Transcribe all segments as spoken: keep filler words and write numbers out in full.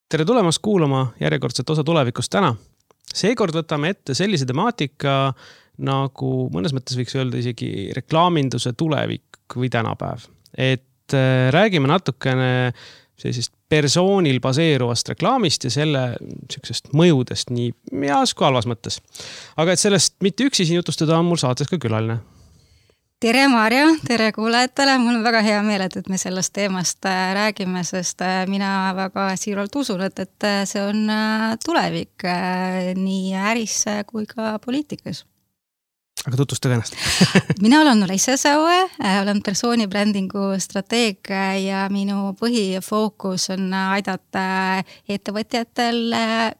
Tere tulemast kuulama järjekordset osa tulevikust täna. Seekord võtame ette sellise temaatika, nagu mõnes mõttes võiks öelda isegi reklaaminduse tulevik või tänapäev. Et räägime natukene sellisest persoonil baseeruvast reklaamist ja selle sellisest mõjudest nii heas kui halvas mõttes. Aga et sellest mitte üksi siin jutustada on mul saates ka külaline. Tere Marjo, tere kuulajatele, mul on väga hea meel, et me sellest teemast räägime, sest mina väga siiralt usun, et, et see on tulevik nii äris kui ka poliitikas. Aga tutvustage ennast. Mina olen Olesja Saue, olen persoonibrändingu strateeg ja minu põhifookus on aidata ettevõtjatel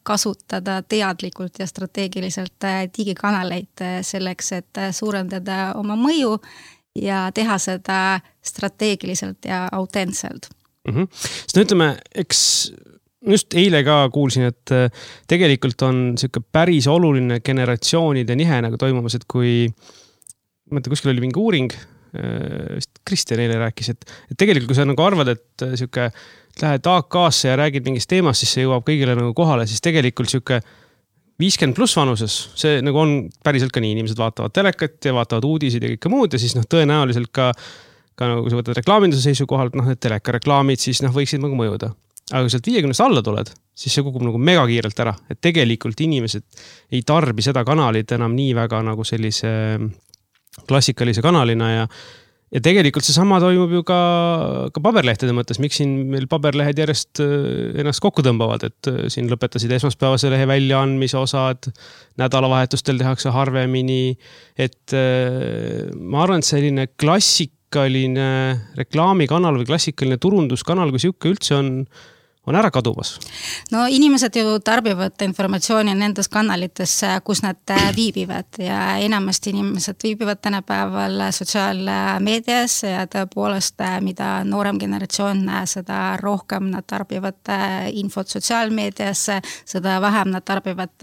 kasutada teadlikult ja strateegiliselt digikanaleid selleks, et suurendada oma mõju ja teha seda strateegiliselt ja autentselt. Mm-hmm. Sest ütleme, eks just eile ka kuulsin, et tegelikult on siuke päris oluline generatsioonide nihe nagu toimumas, et kui mõtle, kuskil oli mingi uuring, vist Kristjan eile rääkis, et, et tegelikult kui sa nagu arvad, et siuke lähed A K-sse ja räägid mingist teemast, siis see jõuab kõigile nagu kohale, siis tegelikult siuke viiskümmend pluss vanuses, see nagu on päriselt ka nii, inimesed vaatavad telekat ja vaatavad uudisid ja kõike muud ja siis noh, tõenäoliselt ka, ka nagu kui sa võtad reklaaminduse seisukohalt, noh, need teleka reklaamid, siis noh, võiksid nagu mõjuda. Aga kui sealt viiekümnest alla tuled, siis see kukub nagu mega kiirelt ära. Et tegelikult inimesed ei tarbi seda kanalit enam nii väga nagu sellise klassikalise kanalina ja, ja tegelikult see sama toimub ju ka, ka paberlehtede mõttes. Miks siin meil paberlehed järjest ennast kokku tõmbavad, et siin lõpetasid esmaspäevase lehe väljaandmise osad, nädalavahetustel tehakse harvemini, et ma arvan, et selline klassikaline reklaamikanal või klassikaline turunduskanal, kui siuke üldse on on ära kadumas? No inimesed ju tarbivad informatsiooni nendes kanalites, kus nad viibivad ja enamasti inimesed viibivad tänapäeval sotsiaalmeedias ja tõepoolest, mida noorem generatsioon, seda rohkem nad tarbivad infot sotsiaalmeedias, seda vähem nad tarbivad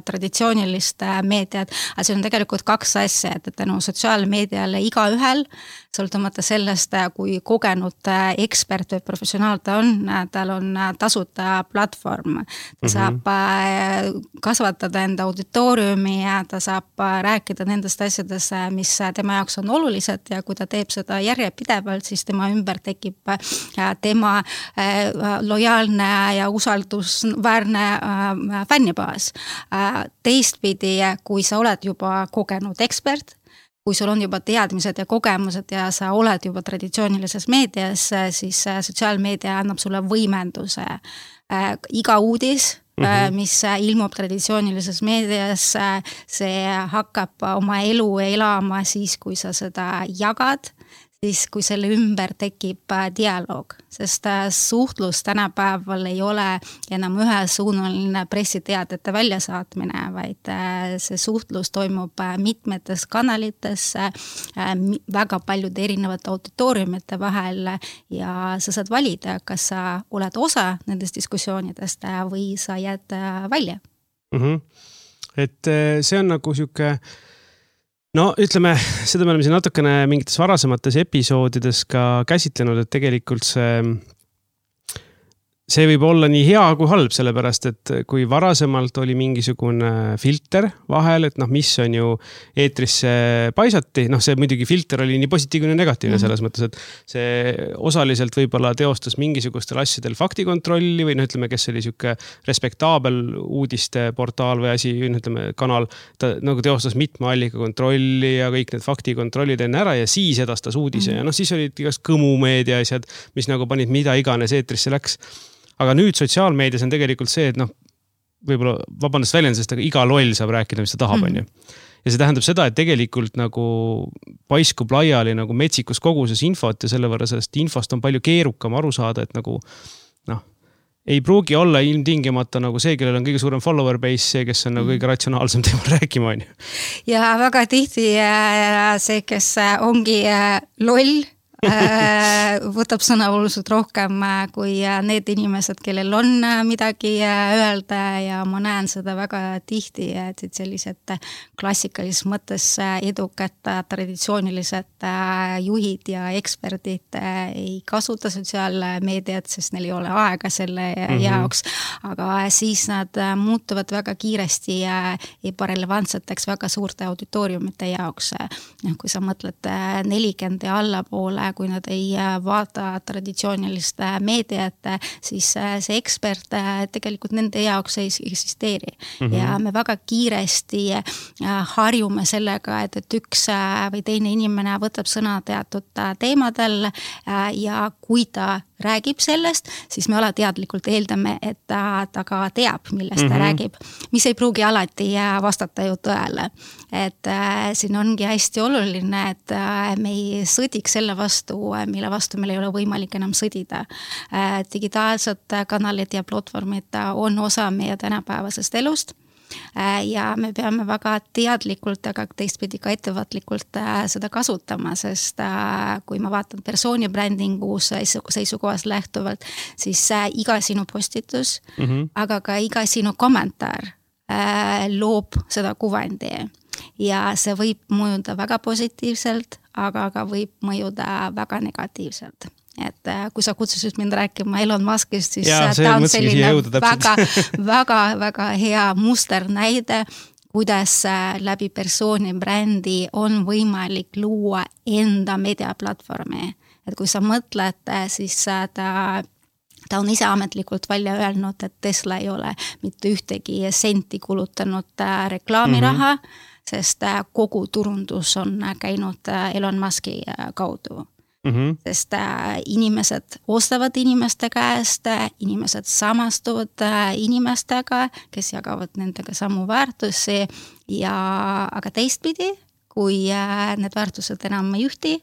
traditsioonilist meediat. Aga see on tegelikult kaks asja, et tänu sotsiaalmeediale iga ühel, sõltumata sellest, kui kogenud ekspert või professionaal ta on, tal on tasuta platvorm. Ta saab mm-hmm. kasvatada enda auditooriumi ja ta saab rääkida nendest asjadest, mis tema jaoks on olulised ja kui ta teeb seda järjepidevalt, siis tema ümber tekib tema lojaalne ja usaldusväärne fännibaas. Teistpidi, kui sa oled juba kogenud ekspert, kui sul on juba teadmised ja kogemused ja sa oled juba traditsioonilises meedias, siis sotsiaalmeedia annab sulle võimenduse. Iga uudis, mm-hmm. mis ilmub traditsioonilises meedias, see hakkab oma elu elama siis, kui sa seda jagad, siis kui selle ümber tekib dialoog, sest suhtlus tänapäeval ei ole enam ühesuunaline pressiteadete väljasaatmine, vaid see suhtlus toimub mitmetes kanalites, väga paljude erinevate auditooriumite vahel ja sa saad valida, kas sa oled osa nendest diskussioonidest või sa jääd välja. Mm-hmm. Et see on nagu siuke no ütleme, seda me oleme siin natukene mingites varasemates episoodides ka käsitlenud, et tegelikult see, see võib olla nii hea kui halb, sellepärast, et kui varasemalt oli mingisugune filter vahel, et noh, mis on ju eetrisse paisati, noh see muidugi filter oli nii positiivne ja negatiivne selles mõttes, et see osaliselt võib-olla teostas mingisugustel asjadel faktikontrolli või noh, ütleme, kes oli siuke respektaabel uudiste portaal või asi, ütleme, kanal, ta nagu teostas mitme allika kontrolli ja kõik need faktikontrollid enne ära ja siis edastas uudise mm. ja noh, siis olid igast kõmumeedia asjad, mis nagu panid mida iganes eetrisse läks. Aga nüüd sotsiaalmeedias on tegelikult see, et noh, võib-olla vabandust väljendusest, aga iga loll saab rääkida, mis ta tahab, on ju. Ja see tähendab seda, et tegelikult nagu paiskub laiali nagu metsikus koguses infot ja selle võrra sellest infost on palju keerukam aru saada, et nagu noh, ei pruugi olla ilmtingimata nagu see, kellel on kõige suurem follower base, see, kes on nagu kõige ratsionaalsem teemal rääkima, on ju. Ja väga tihti see, kes ongi loll, võtab sõna oluliselt rohkem kui need inimesed, kellel on midagi öelda ja ma näen seda väga tihti, et sellised klassikalises mõttes edukad traditsioonilised juhid ja eksperdid ei kasuta sotsiaalmeediat, sest neil ei ole aega selle mm-hmm. jaoks, aga siis nad muutuvad väga kiiresti ebarelevantseteks väga suurte auditooriumite jaoks. Kui sa mõtled nelikümmend ja allapoole, kui nad ei vaata traditsioonilist meediat, siis see ekspert tegelikult nende jaoks ei eksisteeri. Mm-hmm. Ja me väga kiiresti harjume sellega, et, et üks või teine inimene võtab sõna teatud teemadel ja kui ta räägib sellest, siis me alateadlikult eeldame, et ta, ta ka teab, millest mm-hmm. ta räägib, mis ei pruugi alati vastata ju tõele. Et äh, siin ongi hästi oluline, et äh, me ei sõdiks selle vastu, mille vastu meil ei ole võimalik enam sõdida. Äh, digitaalsed kanalid ja platvormid on osa meie tänapäevasest elust. Ja me peame väga teadlikult, aga teistpidi ka ettevaatlikult seda kasutama, sest kui ma vaatan persooni brändingu seisukohast lähtuvalt, siis iga sinu postitus, mm-hmm. aga ka iga sinu kommentaar loob seda kuvandi. Ja see võib mõjuda väga positiivselt, aga ka võib mõjuda väga negatiivselt. Et kui sa kutsusid mind rääkima Elon Muskist, siis ja, ta on selline väga, väga, väga hea musternäide, kuidas läbi persooni brändi on võimalik luua enda meediaplatvormi. Et kui sa mõtled, siis ta Ta on ise ametlikult välja öelnud, et Tesla ei ole mitte ühtegi senti kulutanud reklaamiraha, mm-hmm. sest kogu turundus on käinud Elon Muski kaudu. Mm-hmm. Sest inimesed ostavad inimeste käest, inimesed samastuvad inimestega, kes jagavad nendega samu väärtusi, ja, aga teistpidi, kui need väärtused enam ei ühti,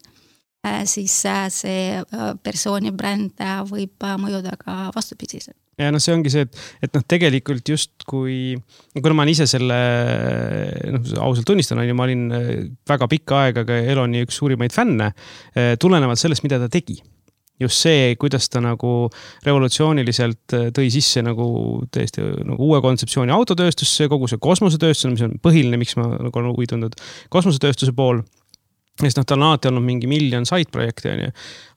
siis see persooni bränd võib mõjuda ka vastupidiselt. Ja no see ongi see, et, et noh, tegelikult just kui, kuna ma ise selle, noh, ausalt tunnistan, on ju, ma olin väga pikka aega ka Eloni üks suurimaid fänne, tulenevalt sellest, mida ta tegi. Just see, kuidas ta nagu revolutsiooniliselt tõi sisse nagu tõesti nagu uue kontseptsiooni autotööstusse, kogu see kosmosetööstus, mis on põhiline, miks ma nagu olen huvitunud kosmosetööstuse pool. Sest noh, tal on alati olnud mingi miljon side-projekti, on ju.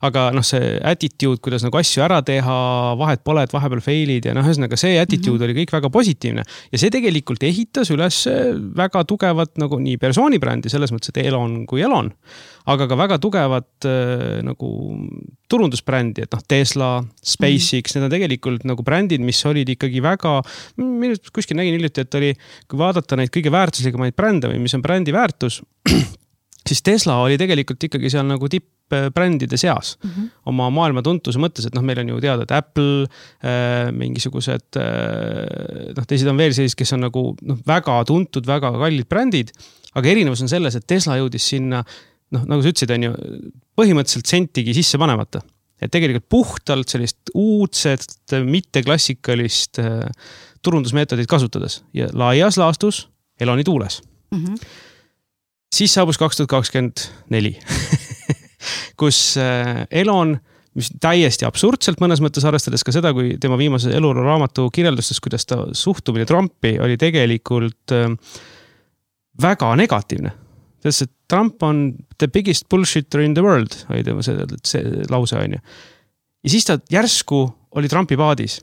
Aga noh, see attitude, kuidas nagu asju ära teha, vahet pole, et vahepeal failid ja noh, ühesõnaga see attitude mm-hmm. oli kõik väga positiivne. Ja see tegelikult ehitas üles väga tugevat nagu nii persoonibrändi, selles mõttes, et Elon kui Elon, aga ka väga tugevat nagu turundusbrändi, et noh, Tesla, SpaceX, mm-hmm. need on tegelikult nagu brändid, mis olid ikkagi väga, kuskil nägin hiljuti, et oli, kui vaadata neid kõige väärtuslikemaid brände või mis on brändi väärtus, siis Tesla oli tegelikult ikkagi seal nagu tippbrändide seas mm-hmm. oma maailma tuntuse mõttes, et noh, meil on ju teada, et Apple, äh, mingisugused, äh, noh, teised on veel sellised, kes on nagu noh, väga tuntud, väga kallid brändid, aga erinevus on selles, et Tesla jõudis sinna, noh, nagu sa ütlesid, on ju, põhimõtteliselt sentigi sisse panemata. Et tegelikult puhtalt sellist uudset, mitte klassikalist äh, turundusmeetodit kasutades ja laias laastus Eloni tuules. Mm-hmm. Siis saabus kaks tuhat kakskümmend neli, kus Elon, mis täiesti absurdselt mõnes mõttes arvestades ka seda, kui tema viimase eluraamatu kirjeldustes, kuidas ta suhtumine Trumpi oli tegelikult väga negatiivne. Sest, et Trump on the biggest bullshitter in the world, oli tema see, see lause on ju. Ja siis ta järsku oli Trumpi paadis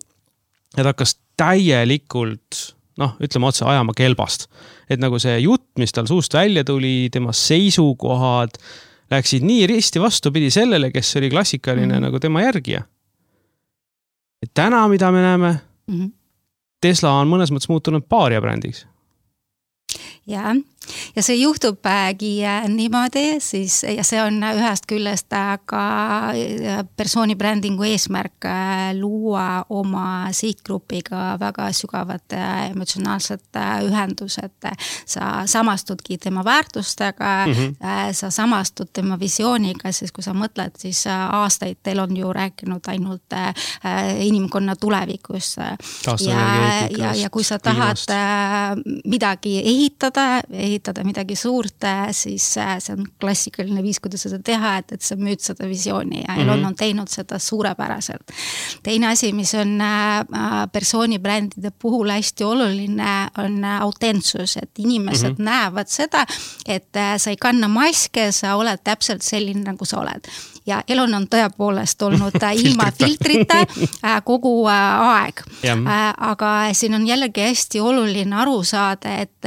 ja ta hakkas täielikult noh, ütleme otse ajama kelbast. Et nagu see jutt, mis tal suust välja tuli, tema seisukohad läksid nii risti vastupidi sellele, kes oli klassikaline mm-hmm. nagu tema järgija. Et täna, mida me näeme, mm-hmm. Tesla on mõnes mõttes muutunud paaria brändiks. Ja, ja see juhtubki niimoodi, siis, ja see on ühest küljest ka persooni brändingu eesmärk luua oma sihtgrupiga väga sügavad emotsionaalsed ühendused. Sa samastudki tema väärtustega, mm-hmm. sa samastud tema visiooniga, siis kui sa mõtled, siis aastaid teil on ju rääkinud ainult inimkonna tulevikus. Ja, ja, ja kui sa tahad midagi ehitada, ehitada midagi suurt, siis see on klassikaline viis, kuidas seda teha, et, et sa müüd seda visiooni ja Elon mm-hmm. on teinud seda suurepäraselt. Teine asi, mis on persoonibrändide puhul hästi oluline, on autentsus, et inimesed mm-hmm. näevad seda, et sa ei kanna maske, sa oled täpselt selline, nagu sa oled. Ja Elon on tõepoolest olnud ilma filtrita kogu aeg. Aga siin on jällegi hästi oluline aru saada, et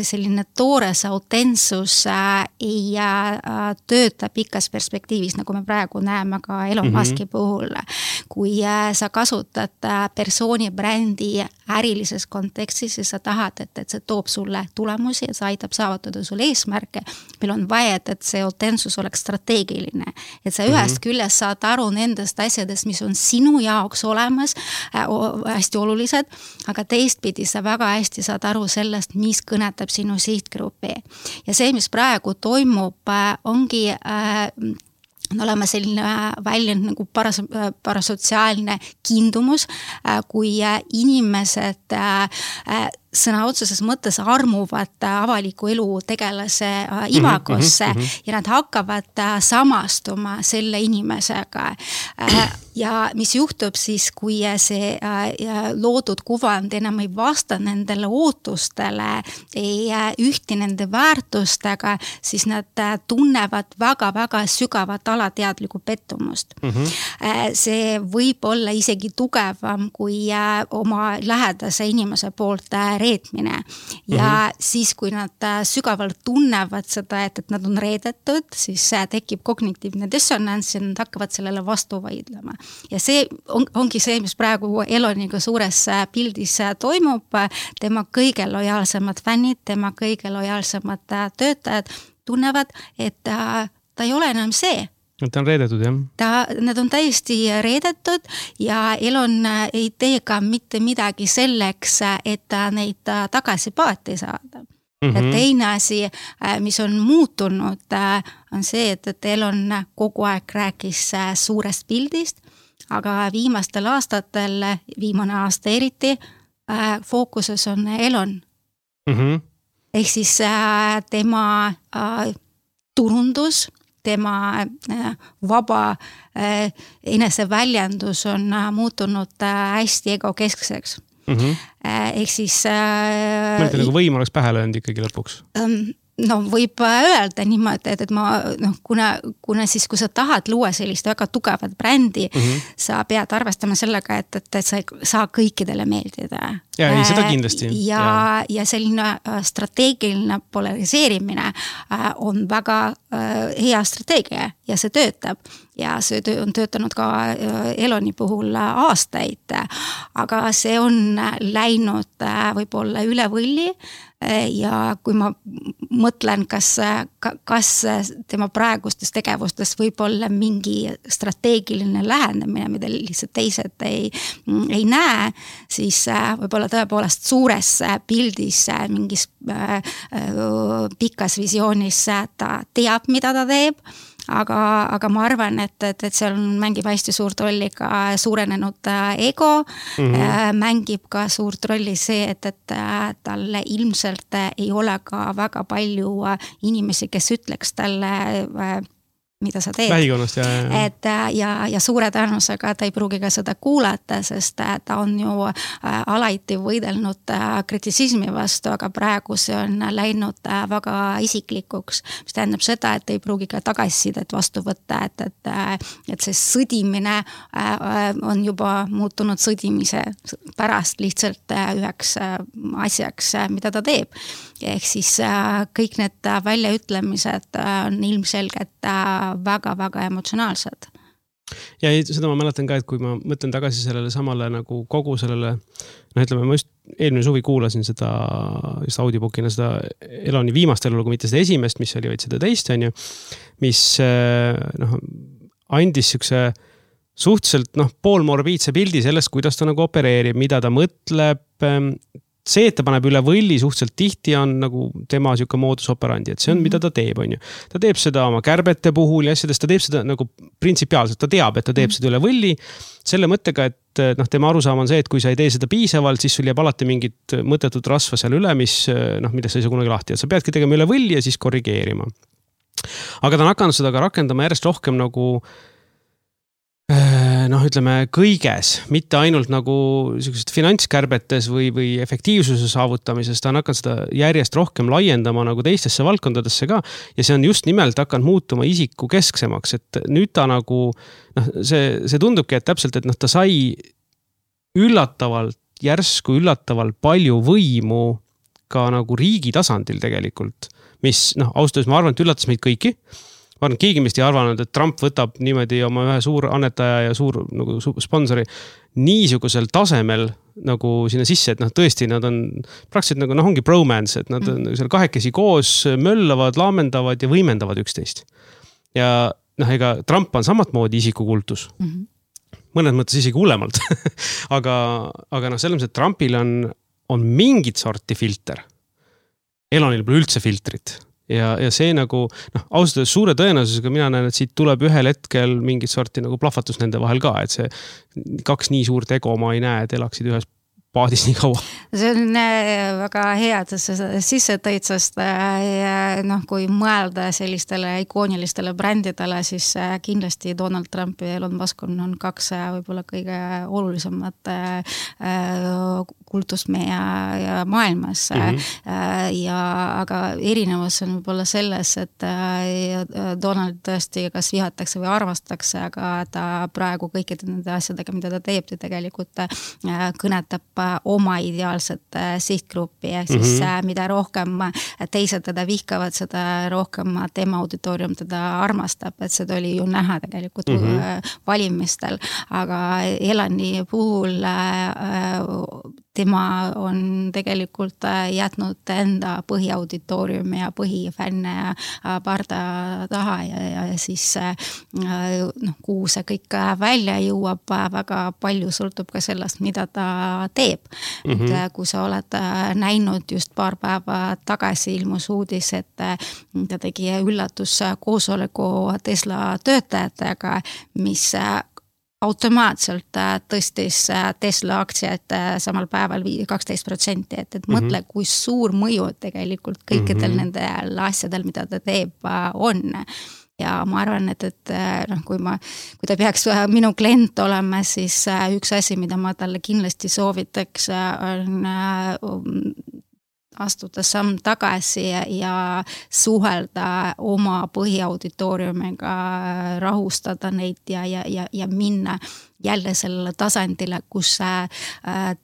selline toores autentsus ei tööta pikas perspektiivis, nagu me praegu näeme ka Elon Muski puhul. Kui sa kasutad persoonibrändi ärilises kontekstis, siis sa tahad, et, et see toob sulle tulemusi ja see aitab saavutada sulle eesmärke. Meil on vaja, et see autentsus oleks strateegiline. Et sa ühest mm-hmm. küljest saad aru nendest asjadest, mis on sinu jaoks olemas, äh, hästi olulised, aga teistpidi sa väga hästi saad aru sellest, mis kõnetab sinu sihtgrupi. Ja see, mis praegu toimub, äh, ongi äh, on olema selline väljend nagu paras, parasotsiaalne kindumus, äh, kui äh, inimesed äh, sõna otseses mõttes armuvad avaliku elu tegelase imagosse mm-hmm, mm-hmm. ja nad hakkavad samastuma selle inimesega. Ja mis juhtub siis, kui see loodud kuvand enam ei vasta nendele ootustele, ei ühti nende väärtustega, siis nad tunnevad väga-väga sügavat alateadlikku pettumust. Mm-hmm. See võib olla isegi tugevam kui oma lähedase inimese poolt reetmine. Ja mm-hmm. siis, kui nad sügavalt tunnevad seda, et, et nad on reedetud, siis tekib kognitiivne dissonants ja nad hakkavad sellele vastu vaidlema. Ja see on, ongi see, mis praegu Eloniga suures pildis toimub. Tema kõige lojaalsemad fännid, tema kõige lojaalsemad töötajad tunnevad, et ta, ta ei ole enam see. Ta on reedetud, jah? Ta, nad on täiesti reedetud ja Elon ei tee ka mitte midagi selleks, et neid tagasi paati saada. Mm-hmm. Ja teine asi, mis on muutunud, on see, et, et Elon kogu aeg rääkis suurest pildist, aga viimastel aastatel, viimane aasta eriti, fookuses on Elon. Mm-hmm. Ehk siis tema turundus, tema vaba eneseväljendus on muutunud hästi egokeskseks. Mm-hmm. Ehk siis... Mõelda nagu võim oleks pähe löönud ikkagi lõpuks? No võib öelda niimoodi, et, et ma, noh, kuna, kuna siis, kui sa tahad luua sellist väga tugevat brändi, mm-hmm. sa pead arvestama sellega, et, et, et sa ei saa kõikidele meeldida. Ja, ei, seda kindlasti. Ja, ja. ja selline strateegiline polariseerimine on väga hea strateegia ja see töötab. Ja see on töötanud ka Eloni puhul aastaid, aga see on läinud võib-olla üle võlli. Ja kui ma mõtlen, kas, kas tema praegustes tegevustes võib olla mingi strateegiline lähenemine, mida lihtsalt teised ei, ei näe, siis võib-olla tõepoolest suures pildis, mingis pikas visioonis ta teab, mida ta teeb, aga, aga ma arvan, et, et, et seal mängib hästi suurt rolli ka suurenenud ego, mm-hmm. mängib ka suurt rolli see, et, et talle ilmselt ei ole ka väga palju inimesi, kes ütleks talle, mida sa teed. Vähikonnast, ja, ja. Et, ja, ja suure tõenäosusega ta ei pruugi ka seda kuulata, sest ta on ju alati võidelnud kritisismi vastu, aga praegu see on läinud väga isiklikuks, mis tähendab seda, et ei pruugi ka tagasisidet vastu võtta, et, et, et see sõdimine on juba muutunud sõdimise pärast lihtsalt üheks asjaks, mida ta teeb. Ehk siis kõik need väljaütlemised on ilmselgelt väga-väga emotsionaalsed. Ja seda ma mäletan ka, et kui ma mõtlen tagasi sellele samale nagu kogu sellele, no ütleme, ma just eelmine suvi kuulasin seda just audiobookina seda Eloni viimast elu, kui mitte seda esimest, mis oli vaid seda teist, on ju, mis noh, andis sükse suhteliselt noh, poolmorbiidse pildi sellest, kuidas ta nagu opereerib, mida ta mõtleb. see, et ta paneb üle võlli suhteliselt tihti on nagu tema siuke moodus operandi, et see on, mm-hmm. mida ta teeb, on ju. Ta teeb seda oma kärbete puhul ja asjadest, ta teeb seda nagu printsipiaalselt, ta teab, et ta teeb mm-hmm. seda üle võlli selle mõttega, et noh, tema arusaam on see, et kui sa ei tee seda piisavalt, siis sul jääb alati mingit mõttetut rasva seal üle, mis noh, mida sa ei saa kunagi lahti, et sa peadki tegema üle võlli ja siis korrigeerima. Aga ta on hakanud seda ka rakendama järjest rohkem nagu noh, ütleme kõiges, mitte ainult nagu sellised finantskärbetes või, või efektiivsuse saavutamises, ta on hakanud seda järjest rohkem laiendama nagu teistesse valdkondadesse ka ja see on just nimelt hakanud muutuma isiku kesksemaks, et nüüd ta nagu noh, see, see tundubki, et täpselt, et noh, ta sai üllatavalt, järsku üllatavalt palju võimu ka nagu riigi tasandil tegelikult, mis noh, austus ma arvan, et üllatas meid kõiki. Ma arvan, keegi meist ei arvanud, et Trump võtab niimoodi oma ühe suur annetaja ja suur nagu, sponsori niisugusel tasemel nagu sinna sisse, et noh, tõesti nad on praktiliselt nagu noh, ongi bromance, et nad on mm. seal kahekesi koos möllavad, laamendavad ja võimendavad üksteist. Ja noh, ega Trump on samat moodi isikukultus. Mm-hmm. Mõned mõttes isegi hullemalt. aga, aga noh, selles mõttes, et Trumpil on, on mingit sorti filter. Elonil pole üldse filtrit. Ja, ja see nagu, noh, ausalt suure tõenäosusega mina näen, et siit tuleb ühel hetkel mingit sorti nagu plahvatus nende vahel ka, et see kaks nii suurt ego ma ei näe, et elaksid ühes paadis nii kaua. See on väga hea, et sa sisse tõid, sest noh, kui mõelda sellistele ikoonilistele brändidele, siis kindlasti Donald Trump ja Elon Musk on, on kaks võib-olla kõige olulisemat kultust meie maailmas. Mm-hmm. Ja, aga erinevus on võib-olla selles, et Donald tõesti kas vihatakse või armastatakse, aga ta praegu kõikide nende asjadega, mida ta teeb, ta tegelikult kõnetab oma ideaalset sihtgruppi, ehk siis mm-hmm. mida rohkem teised teda vihkavad, seda rohkem tema auditoorium teda armastab, et seda oli ju näha tegelikult mm-hmm. valimistel, aga Elani puhul tema on tegelikult jätnud enda põhiauditooriumi ja põhifänne parda taha ja, ja siis noh, kuhu see kõik välja jõuab, väga palju sõltub ka sellest, mida ta teeb. Mm-hmm. Et kui sa oled näinud just paar päeva tagasi ilmus uudis, et ta tegi üllatus koosoleku Tesla töötajatega, mis automaatselt tõstis Tesla aktsiat samal päeval kaksteist protsenti, et, et mm-hmm. mõtle, kui suur mõju tegelikult kõikidel mm-hmm. nendel asjadel, mida ta teeb, on. Ja ma arvan, et, et noh, kui ma, kui ta peaks minu klient olema, siis üks asi, mida ma talle kindlasti soovitaks, on astuda samm tagasi ja, ja suhelda oma põhiauditooriumiga, rahustada neid ja, ja, ja, ja minna jälle sellele tasandile, kus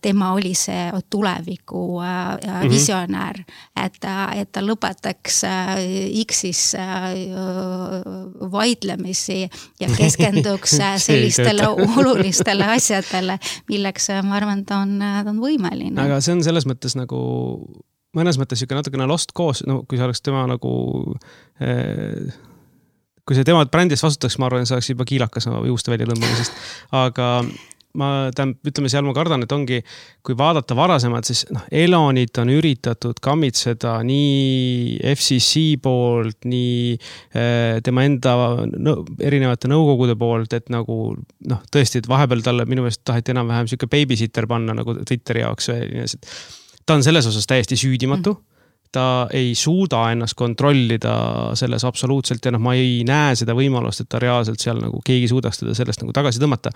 tema oli see tuleviku mm-hmm. visionäär, et, et ta lõpetaks X-is vaidlemisi ja keskenduks sellistele olulistele asjadele, milleks ma arvan, ta on, ta on võimeline. Aga see on selles mõttes nagu mõnes mõttes siuke natukene lost koos, no kui see oleks tema nagu eh, kui see tema brändist vastutaks, ma arvan, see oleks juba kiilakas juuste välja lõmbamisest, aga ma tähendab, ütleme seal ma kardan, et ongi, kui vaadata varasemalt, siis noh, Elonit on üritatud kammitseda nii F C C poolt, nii eh, tema enda no, erinevate nõukogude poolt, et nagu noh, tõesti, et vahepeal talle minu meelest taheti enam-vähem siuke babysitter panna nagu Twitteri jaoks või ta on selles osas täiesti süüdimatu. Ta ei suuda ennast kontrollida selles absoluutselt ja noh, ma ei näe seda võimalust, et ta reaalselt seal nagu keegi suudaks teda sellest nagu tagasi tõmmata.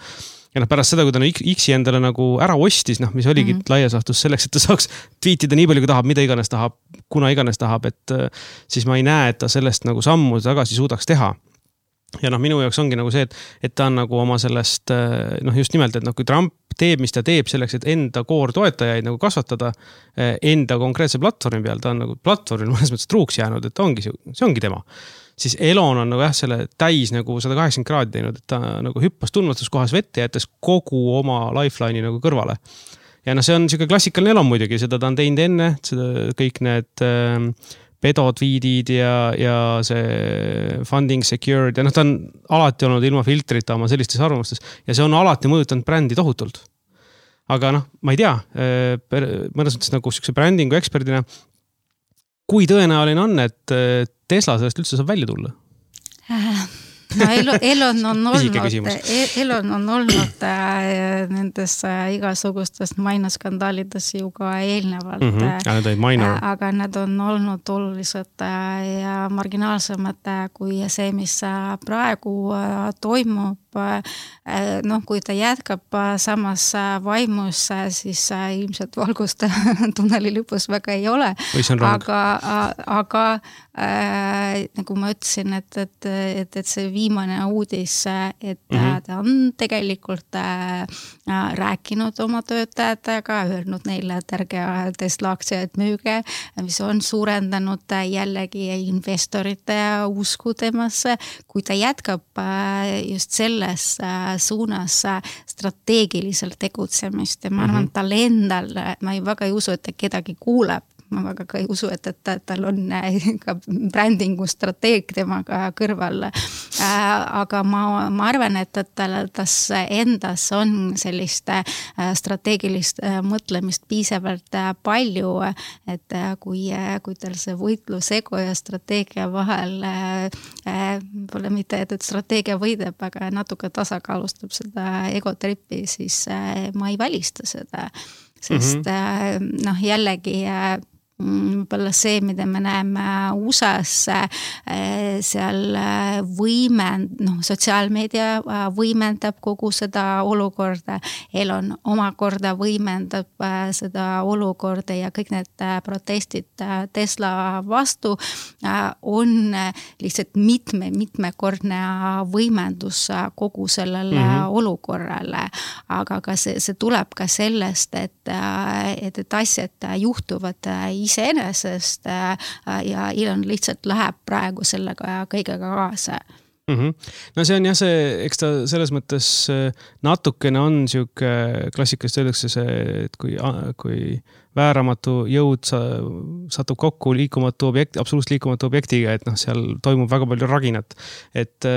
Ja noh, pärast seda, kui ta X-i endale nagu ära ostis, noh, mis oligi mm-hmm. laias laastus selleks, et ta saaks tweetida nii palju, kui tahab, mida iganes tahab, kuna iganes tahab, et siis ma ei näe, et ta sellest nagu sammu tagasi suudaks teha. Ja noh, minu jaoks ongi nagu see, et, et ta on nagu oma sellest, noh just nimelt, et noh, kui Trump teeb, mis ta teeb selleks, et enda koor toetajaid nagu kasvatada enda konkreetse platvormi peal, ta on nagu platvormil mõnes mõttes truuks jäänud, et ta ongi, see ongi tema. Siis Elon on nagu jah, selle täis nagu sada kaheksakümmend kraadi teinud, et ta nagu hüppas tundmatus kohas vette ja jättes kogu oma lifeline'i nagu kõrvale. Ja noh, see on siuke klassikaline Elon muidugi, seda ta on teinud enne, seda kõik need äh, pedotviidid ja, ja see funding secured ja noh, ta on alati olnud ilma filtrita oma sellistes arvamustes ja see on alati mõjutanud brändi tohutult. aga noh, ma ei tea, mõnes mõttes nagu siukse brändingu eksperdina, kui tõenäoline on, et Tesla sellest üldse saab välja tulla? No Elon on olnud, Elon on olnud nendes igasugustes mainaskandaalides ju ka eelnevalt. Mm-hmm. Aga need on olnud olulised ja marginaalsemad kui see, mis praegu toimub. Noh, kui ta jätkab samas vaimus, siis ilmselt valgust tunneli lõpus väga ei ole. Aga, aga äh, nagu ma ütlesin, et, et, et, et see viimane uudis, et mm-hmm. ta on tegelikult äh, rääkinud oma töötajatega, öelnud neile, et ärge Tesla aktsiaid müüge, mis on suurendanud jällegi investorite usku temasse. Kui ta jätkab äh, just selles suunas strateegiliselt tegutsemist ja ma arvan, mm-hmm. tal endal, ma ei väga ei usu, et ta kedagi kuuleb. Ma väga ka ei usu, et, et tal on ka brändingu strateeg temaga kõrval. Aga ma, ma arvan, et, et tal tas endas on sellist strateegilist mõtlemist piisavalt palju, et kui, kui tal see võitlus ego ja strateegia vahel pole mitte, et, et strateegia võidab, aga natuke tasakaalustab seda egotrippi, siis ma ei välista seda. Sest mm-hmm. noh, jällegi võib-olla see, mida me näeme U S A-s, seal võimend, noh, sotsiaalmeedia võimendab kogu seda olukorda, Elon omakorda võimendab seda olukorda ja kõik need protestid Tesla vastu on lihtsalt mitme, mitmekordne võimendus kogu sellele mm-hmm. olukorrale. Aga ka see, see tuleb ka sellest, et, et, et asjad juhtuvad iseenesest ja Elon lihtsalt läheb praegu sellega kõigega kaasa. Mm-hmm. No see on jah see, eks ta selles mõttes natukene on siuke klassikalist öeldakse see, et kui, kui vääramatu jõud sa, satub kokku liikumatu objekt, absoluutselt liikumatu objektiga, et noh, seal toimub väga palju raginat. Et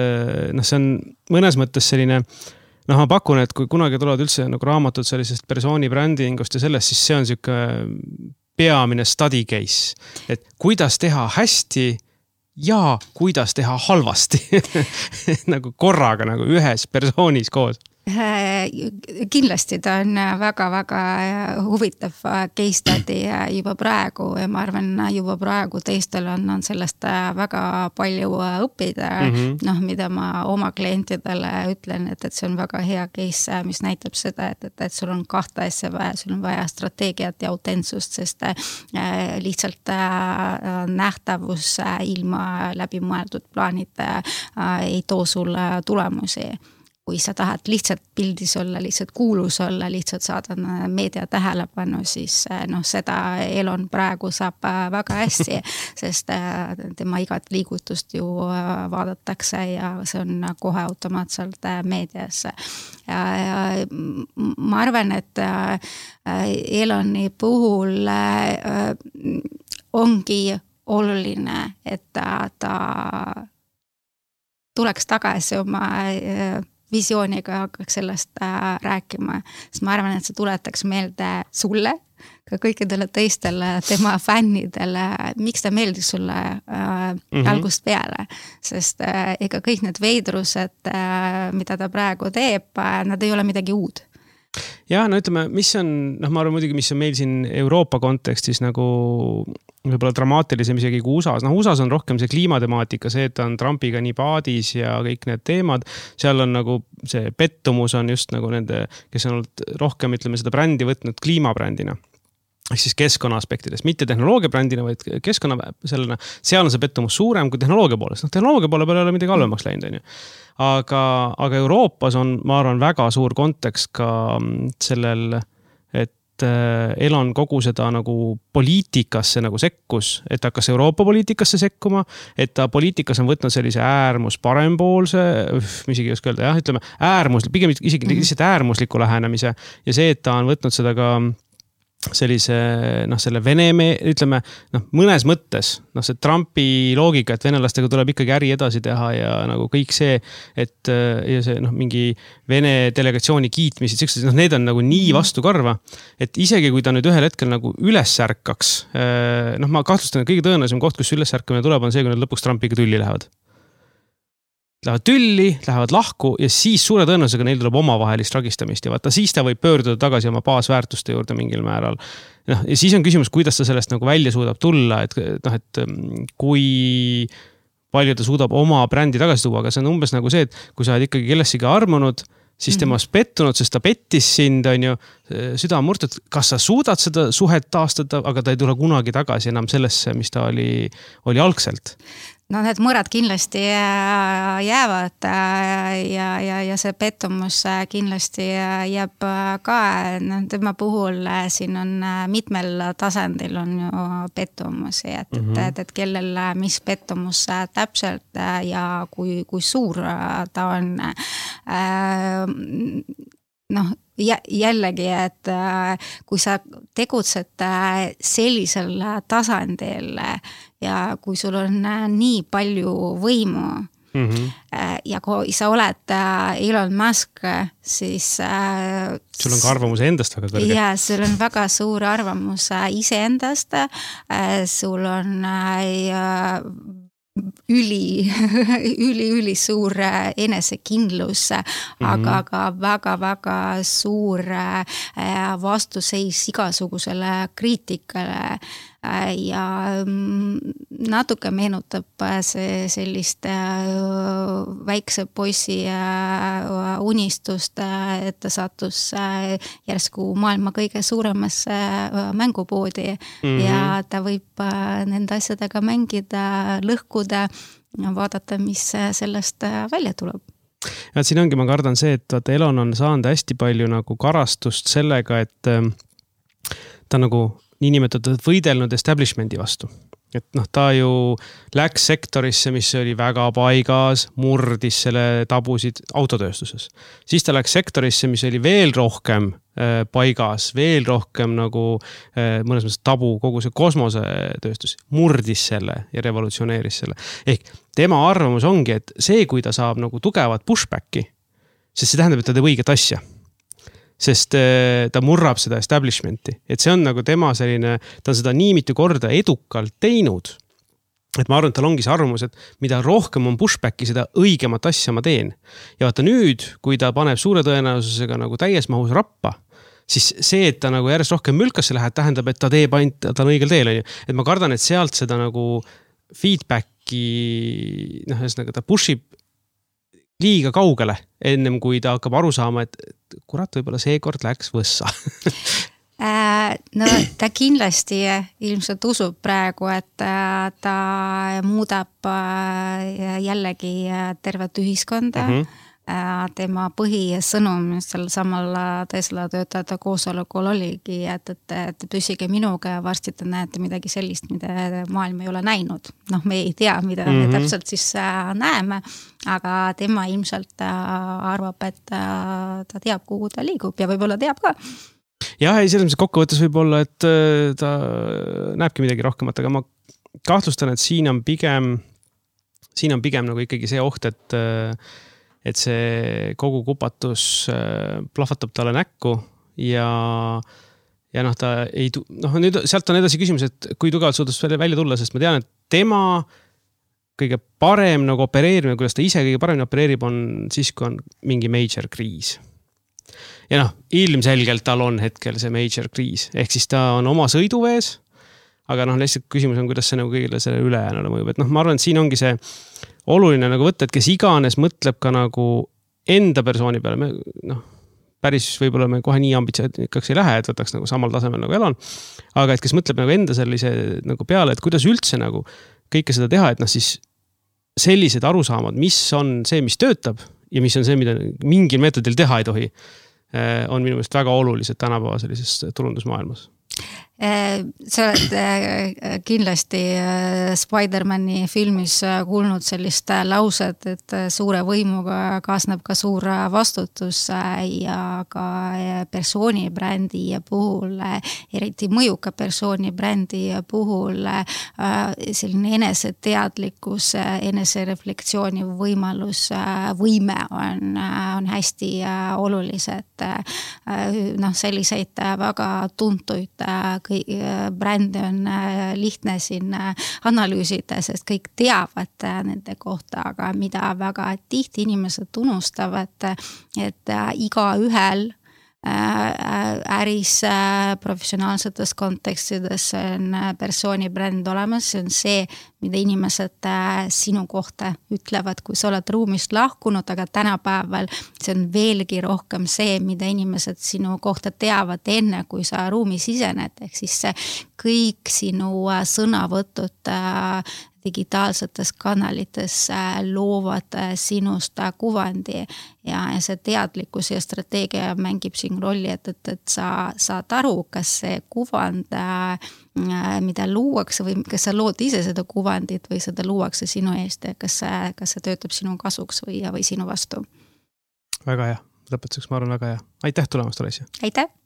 noh, see on mõnes mõttes selline noh, ma pakun, et kui kunagi tulevad üldse nagu raamatud sellisest persooni brändingust ja sellest, siis see on siuke peamine study case, et kuidas teha hästi ja kuidas teha halvasti nagu korraga nagu ühes persoonis koos. Kindlasti ta on väga-väga huvitav case study juba praegu ja ma arvan, juba praegu teistel on, on sellest väga palju õppida, mm-hmm. noh, mida ma oma klientidele ütlen, et, et see on väga hea case, mis näitab seda, et, et, et sul on kahte asja vaja, sul on vaja strateegiat ja autentsust, sest lihtsalt nähtavus ilma läbimõeldud plaanid ei too sulle tulemusi. Kui sa tahad lihtsalt pildis olla, lihtsalt kuulus olla, lihtsalt saada meedia tähelepanu, siis noh, seda Elon praegu saab väga hästi, sest tema igat liigutust ju vaadatakse ja see on kohe automaatselt meedias. Ja, ja ma arvan, et Eloni puhul ongi oluline, et ta, ta tuleks tagasi oma visiooniga hakkaks sellest äh, rääkima, sest ma arvan, et see tuletaks meelde sulle, ka kõikidele teistele tema fännidele, miks ta meeldis sulle äh, mm-hmm. algust peale, sest äh, ega kõik need veidrused, äh, mida ta praegu teeb, äh, nad ei ole midagi uud. Ja, no ütleme, mis on, noh, ma arvan muidugi, mis on meil siin Euroopa kontekstis nagu võib-olla dramaatilisem isegi kui U S A-s. Noh, U S A-s on rohkem see kliimatemaatika, see, et ta on Trumpiga nii paadis ja kõik need teemad. Seal on nagu see pettumus on just nagu nende, kes on olnud rohkem, ütleme, seda brändi võtnud kliimabrändina. Ehk siis keskkonna aspektidest, mitte tehnoloogia brändina, vaid keskkonna sellena. Seal on see pettumus suurem kui tehnoloogia poolest. Noh, tehnoloogia poole peale ei ole midagi halvemaks läinud, on ju. Aga, aga Euroopas on, ma arvan, väga suur kontekst ka sellel, et Elon kogu seda nagu poliitikasse nagu sekkus, et hakkas Euroopa poliitikasse sekkuma, et ta poliitikas on võtnud sellise äärmus parempoolse, mis isegi ei oska öelda, jah, ütleme äärmus, pigem isegi lihtsalt äärmusliku lähenemise ja see, et ta on võtnud seda ka sellise, noh, selle Venemaa, ütleme, noh, mõnes mõttes, noh, see Trumpi loogika, et venelastega tuleb ikkagi äri edasi teha ja nagu kõik see, et ja see, noh, mingi Vene delegatsiooni kiitmised, noh, need on nagu nii vastu karva, et isegi kui ta nüüd ühel hetkel nagu üles ärkaks, noh, ma kahtlustan, et kõige tõenäolisem koht, kus üles ärkamine tuleb, on see, kui nad lõpuks Trumpiga tülli lähevad. Lähevad tülli, lähevad lahku ja siis suure tõenäosusega neil tuleb omavahelist ragistamist ja vaata, siis ta võib pöörduda tagasi oma baasväärtuste juurde mingil määral. Noh, ja siis on küsimus, kuidas ta sellest nagu välja suudab tulla, et, noh, et kui palju ta suudab oma brändi tagasi tuua, aga see on umbes nagu see, et kui sa oled ikkagi kellessiga armunud, siis tema mm-hmm. pettunud, sest ta pettis sind, on ju, süda murtud, kas sa suudad seda suhet taastada, aga ta ei tule kunagi tagasi enam sellesse, mis ta oli, oli algselt. No need mõrad kindlasti jäävad ja, ja, ja see pettumus kindlasti jääb ka, no, tema puhul siin on mitmel tasandil on ju pettumusi, et, mm-hmm. et, et kellel mis pettumus täpselt ja kui, kui suur ta on. Noh, jällegi, et kui sa tegutsed sellisel tasandil ja kui sul on nii palju võimu mm-hmm. ja kui sa oled Elon Musk, siis sul on ka arvamus endast väga kõrge. Ja, sul on väga suur arvamus iseendast, sul on üli, üli, üli suur enesekindlus, mm-hmm. aga ka väga-väga suur vastuseis igasugusele kriitikale ja natuke meenutab see sellist väikse poisi unistust, et ta sattus järsku maailma kõige suuremasse mängupoodi mm-hmm. ja ta võib nende asjadega mängida, lõhkuda, vaadata, mis sellest välja tuleb. Ja siin ongi, ma kardan see, et vaata, Elon on saanud hästi palju nagu karastust sellega, et ta nagu niinimetatud võidelnud establishmendi vastu. Et noh, ta ju läks sektorisse, mis oli väga paigas, murdis selle tabusid autotööstuses. Siis ta läks sektorisse, mis oli veel rohkem äh, paigas, veel rohkem nagu äh, mõnes mõttes tabu, kogu see kosmosetööstus, murdis selle ja revolutsioneeris selle. Ehk tema arvamus ongi, et see, kui ta saab nagu tugevat pushbacki, sest see tähendab, et ta teeb õiget asja. Sest ta murrab seda establishmenti. Et see on nagu tema selline, ta on seda nii mitu korda edukalt teinud. Et ma arvan, et tal ongi see arvamus, et mida rohkem on pushbacki, seda õigemat asja ma teen. Ja vaata nüüd, kui ta paneb suure tõenäosusega nagu täies mahus rappa, siis see, et ta nagu järjest rohkem mülkasse läheb, tähendab, et ta teeb ainult, ta on õigel teel. Et ma kardan, et sealt seda nagu feedbacki, noh, ühesõnaga ta pushib liiga kaugele, ennem kui ta hakkab aru saama, et kurat, võib-olla seekord läks võssa. No ta kindlasti ilmselt usub praegu, et ta muudab jällegi tervet ühiskonda. Mm-hmm. Tema põhisõnum sel samal Tesla töötajate koosolekul oligi, et, et, et püsige minuga ja varsti te näete midagi sellist, mida maailm ei ole näinud. Noh, me ei tea, mida mm-hmm. me täpselt siis näeme, aga tema ilmselt arvab, et ta teab, kuhu ta liigub ja võib-olla teab ka. Jah, ei selles mõttes kokkuvõttes võib olla, et ta näebki midagi rohkemat, aga ma kahtlustan, et siin on pigem, siin on pigem nagu ikkagi see oht, et et see kogu kupatus plahvatab talle näkku ja, ja noh, ta ei, noh, nüüd sealt on edasi küsimus, et kui tugevalt suudus välja tulla, sest ma tean, et tema kõige parem nagu opereerimine, kuidas ta ise kõige paremini opereerib, on siis, kui on mingi major kriis. Ja noh, ilmselgelt tal on hetkel see major kriis, ehk siis ta on oma sõiduvees, aga noh, lihtsalt küsimus on, kuidas see nagu kõigile selle ülejäänule mõjub, et noh, ma arvan, et siin ongi see oluline nagu võtta, et kes iganes mõtleb ka nagu enda persooni peale, me, noh, päris võib-olla me kohe nii ambitsioonikaks ei lähe, et võtaks nagu samal tasemel nagu Elon, aga et kes mõtleb nagu enda sellise nagu peale, et kuidas üldse nagu kõike seda teha, et noh siis sellised arusaamad, mis on see, mis töötab ja mis on see, mida mingil meetodil teha ei tohi, on minu meelest väga olulised tänapäeva sellises turundusmaailmas. Sa oled kindlasti Spider-Mani filmis kuulnud sellist lauset, et suure võimuga kaasneb ka suur vastutus ja ka persoonibrändi puhul, eriti mõjuka persoonibrändi puhul selline eneseteadlikkus, enesereflektsiooni võimalus, võime on, on hästi olulised. Noh, selliseid väga tuntuid brändi on lihtne siin analüüsida, sest kõik teavad nende kohta, aga mida väga tihti inimesed unustavad, et iga ühel äris professionaalsetes kontekstides on persoonibränd olemas, see on see, mida inimesed sinu kohta ütlevad, kui sa oled ruumist lahkunud, aga tänapäeval see on veelgi rohkem see, mida inimesed sinu kohta teavad enne, kui sa ruumi sisened, ehk siis kõik sinu sõnavõtud digitaalsetes kanalites loovad sinust kuvandi ja see teadlikkus ja strateegia mängib siin rolli, et, et, et sa saad aru, kas see kuvand, mida luuakse või kas sa lood ise seda kuvandit või seda luuakse sinu eest ja kas see, kas see töötab sinu kasuks või, või sinu vastu. Väga hea. Lõpetuseks ma arvan väga hea. Aitäh tulemast, Olesja. Aitäh!